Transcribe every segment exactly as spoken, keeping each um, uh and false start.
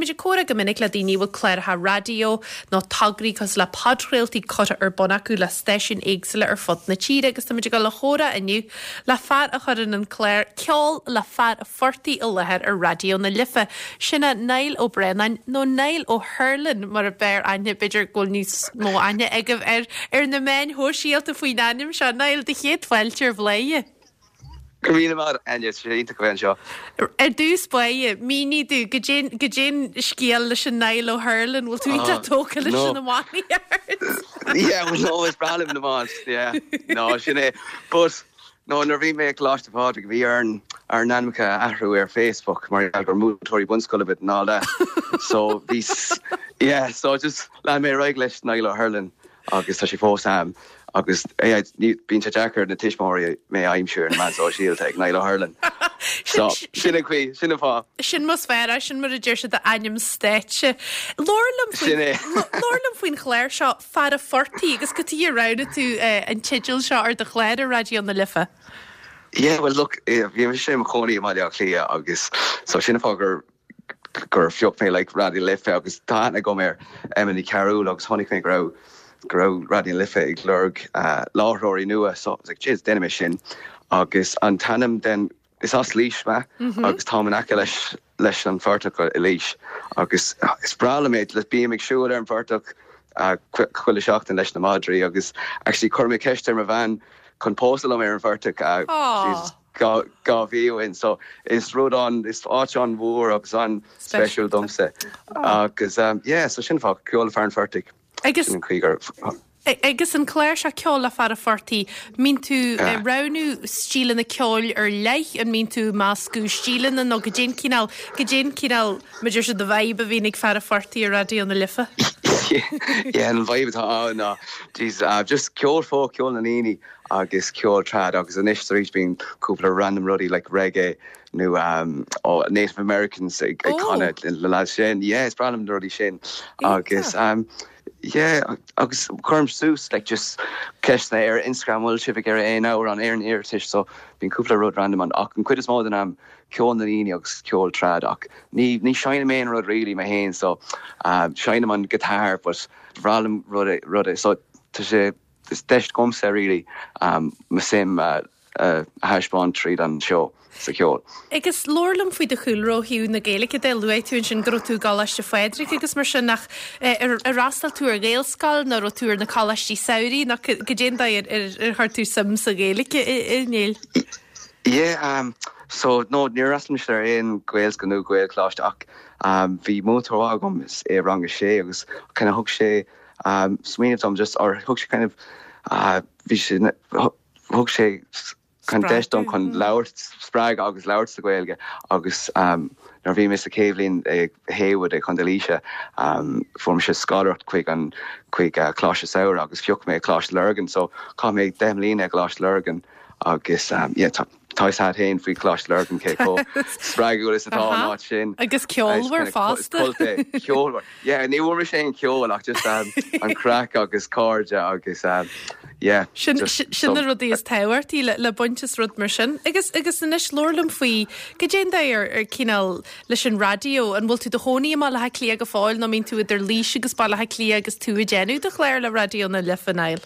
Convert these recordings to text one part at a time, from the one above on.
Bíonn muid ag comhrá go minic le daoine bhfuil cláracha raidió nó tograí cosúil le podchraoltaí curtha ar bun acu le stáisiúin éagsúla ar fud na tíre agus tá muid ag dul a chomhrá inniu le fear a chuireann an clár Ceol le Fear an Phortaigh i láthair ar Raidió na Life. Sin é Niall Ó Braonáin nó Niall O'Hurlin mar a b'fhearr aithne b'fhéidir go bhfuil níos mó aithne agaibh air ar na meáin shóisialta faoin ainm seo Niall do chéad fáilte ar Bhladhaire. Go míle maith Enya sé iontach bheith anseo. Ar dtús báire mínigh domh goidé an scéal leis an Niall O'Hurlin bhfuil tú iontach tógtha leis an iománaíocht. Yeah, well, no, is breá liom an iomáint yeah. No, sin é. But no, nuair bhí mé ag Coláiste Phádraig bhí ar ár n-ainmneacha a athrú ar Facebook mar gur múinteoirí bunscoile bit ná le. So bhí yeah, so just lean mé réig leis Niall O'Hurlin agus tá sé fós am agus bíonn sé deacair na tuismitheoirí mé a aimsiú ar na meáin sóisialta ag Niall O'Hurlin. So sin an chaoi sin an fáth. Sin más fearr sin mar a deir siad ainm stáitse. Labhair liom Sin é. Labhair liom faoin chlár seo Fear an Phortaigh agus cad chuige ar roghnaigh tú an teideal seo ar do chlár ar Raidió na Life. Yeah, well look, bhí sé mo chónaí i Baile Átha Cliath agus so sin fá gur gur phioc mé like Raidió Life agus tá aithne agam ar Emma Ní Chearúil agus chonaic mé go raibh go raibh Raidió Life ag lorg uh, láithreoirí nua so I was like, jeez, déanfaidh mé sin agus an t-ainm den is as Laois mé mm -hmm. agus tá in aice leis leis an phortach i Laois agus is breá liom é le bím ag siúl ar an phortach uh, chuile seachtain leis na madraí agus actually chuir mé ceist ar mo bhean chun pósadh liom ar an phortach uh, dhá mhí ó shin so is rud an is áit an mhór agus an special domsa agus um, yeah, so sin fá Ceol Fear an Phortaigh Agus sin an chaoi gur Agus an clár seo Ceol le Fear an Phortaigh, mbíonn tú ag roghnú stíleanna ceoil ar leith an mbíonn tú meascadh stíleanna nó goidé an cineál goidé an cineál mar sin de vibe a bhíonn ag Fear an Phortaigh ar Raidió na Life. yeah, an vibe atá ann ná geez, uh, just ceol folk ceol na ndaoine agus ceol trad agus anois tar éis bíonn cúpla random rudaí like reggae nó um, oh, Native Americans ag ag Oh. canadh le le sin yeah, is breá liom na rudaí sin agus um, yeah, agus cuirim suas like just ceisteanna ar Instagram bhfuil sibh ag ar aon amhrán ar an iarratais so bíonn cúpla rud random an ach an chuid is mó den am ceol na ndaoine agus ceol trad ach ní ní seinnim aon rud really mé féin so um, seinnim an guitar but breá liom rud rud so tá sé is deis domsa really um, mo suim uh, uh, thaispeáint tríd an seó sa cheol. Agus labhair liom faoi do chúlra ó thaobh na Gaeilge de luaigh tú ansin go raibh tú i gColáiste Phádraig agus mar sin nach ar ar fhreastail tú ar Ghaelscoil nó raibh tú ar na coláistí samhraidh nach goidé an dóigh ar ar chuir tú suim sa Ghaeilge a Niall. Yeah, um, so no níor fhreastail mise ar aon Ghaelscoil nó Gaelcholáiste ach um, bhí múinteoir agam i rang a sé agus kind of thug sé um, smaoineamh dom just or thug sé kind of uh, bhí sé thug sé chun deis dom chun labhairt spreagadh agus labhairt sa Ghaeilge agus um, nuair bhí mé sa chéad bhliain ag Heywood ag Contae Laoise um, fuair mise scoláireacht chuig an chuig uh, Coláiste Samhraidh agus phioc mé Coláiste Lurgan so chaith mé deich mbliana ag Coláiste Lurgan agus um, yeah, tá tá féin faoi Coláiste Lurgan cé chomh spreagúil is atá an áit sin. Agus ceolmhar fosta. Ceolmhar. Yeah, ní bhfuair sé an ceol ach just um, an craic agus cairde agus um, yeah. Sin sin na rudaí is tábhachtaí le, le baint as rud mar sin. Agus agus anois labhair liom faoi goidé an dóigh ar ar cineál leis an raidió an bhfuil tú i do chónaí i mBaile Átha Cliath go fóill nó mbíonn tú idir Laois agus Baile Átha Cliath agus tú ag déanamh do chlár le Raidió na Life Niall.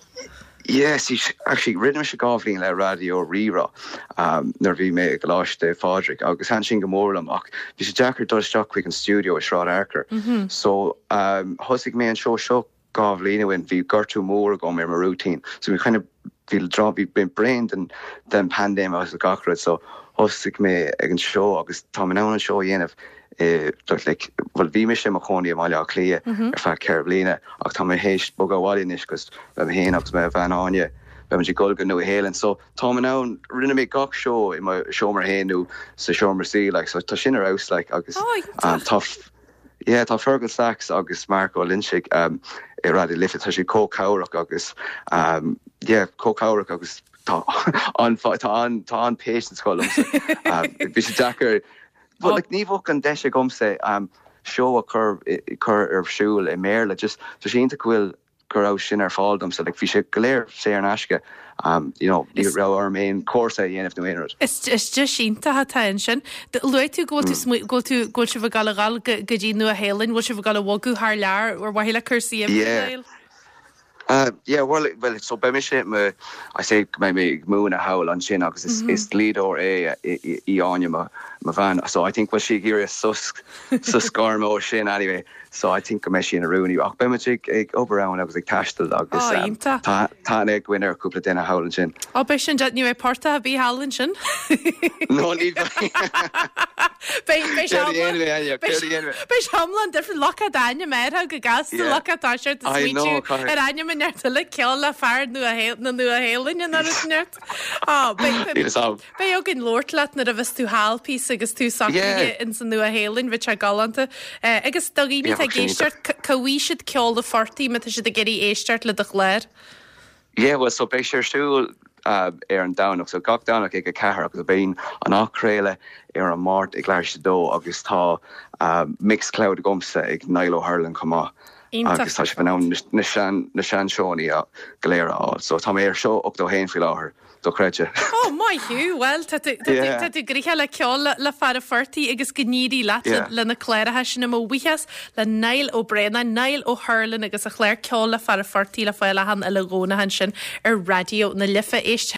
Yes, actually rinne sé dhá bhliain le Raidió Rí-Rá um, nuair bhí mé ag Coláiste Phádraig agus thaitin sin go mór liom ach bhí sé deacair dul isteach chuig an studio i Sráid Fhearchair. Mm -hmm. So um, thosaigh mé an seó seo dhá bhliain ó shin bhí gortú mór agam ar mo rúitín. So bhí kind of bhí bhí bhí brain den den pandéim agus gach rud so thosaigh mé ag an seó agus tá mé an seó dhéanamh eh, like, well bhí mé sé mo chónaí i Baile Átha Cliath mm -hmm. ar feadh ceithre bliana ach tá mé théis bogadh abhaile anois agus le héin agus mé bhean Áine be ag gol go Nua-Shéalainn so tá mé ann rinne mé gach seó i mo seomra féin nó sa seomra suí like, so tá sin ar fheabhas like, agus Oh, um, tá Yeah, tá Fergal Sachs agus Marco Lynchig um, i Raidió Life tá sé cócabhrach agus um, yeah, cócabhrach agus tá an tá an tá an patience go um, bhí sé deacair But like, ní bheadh an deis agamsa um, seó a chur chur ar siúl i mBéarla just tá sé go bhfuil go raibh sin ar fáil dom so like bhí sé go léir saor in aisce um you know ní raibh orm aon cúrsa a dhéanamh nó aon rud. Is is deis iontach atá ansin. Luaigh tú go bhfuil tú go bhfuil tú go bhfuil sibh ag gabháil a dhul go go dtí Nua-Shéalainn, bhfuil sibh ag gabháil a bhogadh thar lear ar mhaithe le cúrsaí Yeah. Uh, yeah, well, well, so beidh mise me I say go mbeidh mé ag múineadh thall ansin agus is, mm -hmm. is dlíodóir é í Áine mo mo bhean. So I think bhfuil sí ag iarraidh sos sos gairme ó sin anyway. So I think go mbeidh sí ina rúnaí ach beidh ag ag obair ann agus ag taisteal agus oh, um, tá tá ag gin ar cúpla duine thall ansin. Ó beidh sin ní bheidh páirtí ar bith thall ansin. No ní Beidh iomlán difriúil lucht d'ainm air go gasta lucht tá sé ar ainm an le ceol le fear na Nua-Shéalainne na neart. Beidh againn labhairt leat nuair a bheas tú thall píosa agus tú socraithe in san Nua-Shéalainn bheadh sé galánta. Agus do dhaoine ag éisteacht cá bhfaighidh siad Ceol an Phortaigh má tá siad ag iarraidh éisteacht le do chlár. Yeah, well, so beidh sé ar siúl uh, ar an Domhnach, so gach Domhnach ag a ceathair agus beidh an athchraoladh ar an Máirt ag leathuair tar éis a dó agus tá uh, Mixcloud agamsa ag Niall O'Hurlin chomh maith. Agus tá sé fan na sean na sean seónna go léir á, so tá mé ar seó ochtó haon faoi láthair dochreidte. Ó maith thú well tá tú gnoitheach le ceol le fear an phortaigh agus go n-éirí leat le na cláracha sin mo bhuíochas le Niall Ó Braonáin, Niall O'Hurlin agus a chlár ceol le fear an phortaigh le fáil achan uile Dhomhnach ansin ar Raidió na Life éist.